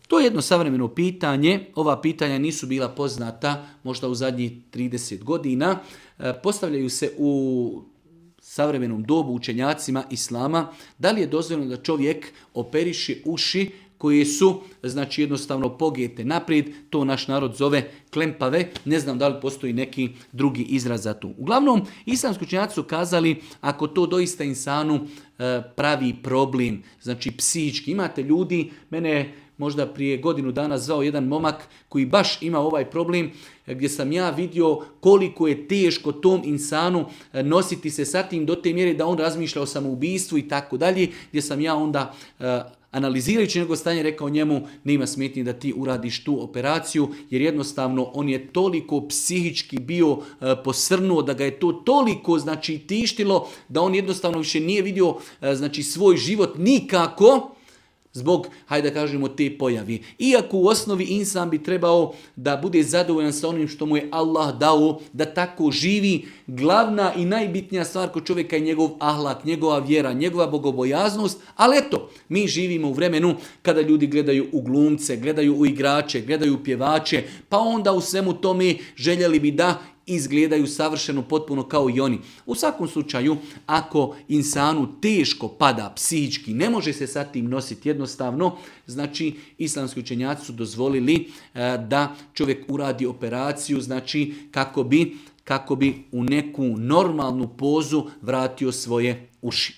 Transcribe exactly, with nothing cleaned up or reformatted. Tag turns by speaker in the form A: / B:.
A: To je jedno savremeno pitanje. Ova pitanja nisu bila poznata možda u zadnjih trideset godina. Postavljaju se u savremenom dobu učenjacima islama. Da li je dozvoljeno da čovjek operiše uši koje su, znači, jednostavno pogete naprijed, to naš narod zove klempave, ne znam da li postoji neki drugi izraz za to. Uglavnom, islamski učenjaci su kazali, ako to doista insanu e, pravi problem, znači psihički, imate ljudi, mene možda prije godinu dana zvao jedan momak koji baš ima ovaj problem, gdje sam ja vidio koliko je teško tom insanu nositi se sa tim do te mjere da on razmišlja o samoubistvu i tako dalje, gdje sam ja onda e, analizirajući njegovo stanje rekao njemu nema smetnje da ti uradiš tu operaciju jer jednostavno on je toliko psihički bio e, posrnuo da ga je to toliko znači tištilo da on jednostavno više nije vidio e, znači svoj život nikako zbog, hajde da kažemo, te pojavi. Iako u osnovi insan bi trebao da bude zadovoljan sa onim što mu je Allah dao, da tako živi, glavna i najbitnija stvar kod čovjeka je njegov ahlak, njegova vjera, njegova bogobojaznost, ali eto, mi živimo u vremenu kada ljudi gledaju u glumce, gledaju u igrače, gledaju u pjevače, pa onda u svemu tome željeli bi da izgledaju savršeno potpuno kao i oni. U svakom slučaju, ako insanu teško pada psihički, ne može se sa tim nositi jednostavno, znači islamski učenjaci su dozvolili e, da čovjek uradi operaciju, znači kako bi, kako bi u neku normalnu pozu vratio svoje uši.